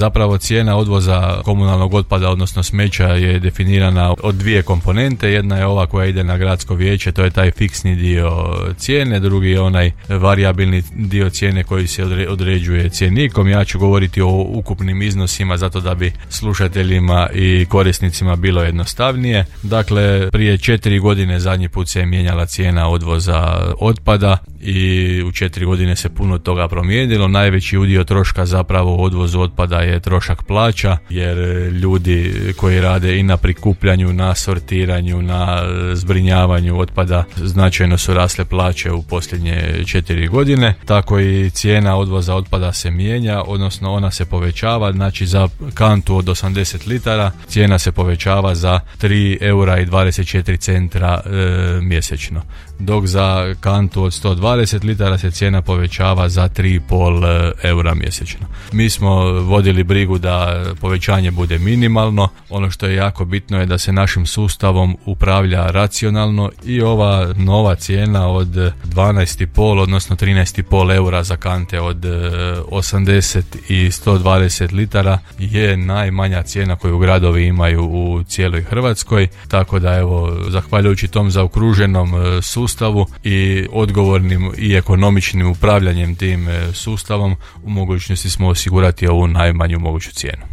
Zapravo cijena odvoza komunalnog otpada, odnosno smeća, je definirana od dvije komponente. Jedna je ova koja ide na gradsko vijeće, to je taj fiksni dio cijene, drugi je onaj varijabilni dio cijene koji se određuje cjenikom. Ja ću govoriti o ukupnim iznosima zato da bi slušateljima i korisnicima bilo jednostavnije. Dakle, prije 4 godine zadnji put se je mijenjala cijena odvoza otpada i u 4 godine se puno toga promijenilo. Najveći udio troška zapravo u odvozu otpada je trošak plaća, jer ljudi koji rade i na prikupljanju, na sortiranju, na zbrinjavanju otpada značajno su rasle plaće u posljednje 4 godine. Tako i cijena odvoza otpada se mijenja, odnosno ona se povećava. Znači za kantu od 80 litara cijena se povećava za 3,24 eura mjesečno, dok za kantu od 120 litara se cijena povećava za 3,5 eura mjesečno. Mi smo vodili brigu da povećanje bude minimalno. Ono što je jako bitno je da se našim sustavom upravlja racionalno i ova nova cijena od 12,5 odnosno 13,5 eura za kante od 80 i 120 litara je najmanja cijena koju gradovi imaju u cijeloj Hrvatskoj, tako da evo, zahvaljujući tom zaokruženom sustavu i odgovornim i ekonomičnim upravljanjem tim sustavom u mogućnosti smo osigurati ovu najmanju moguću cijenu.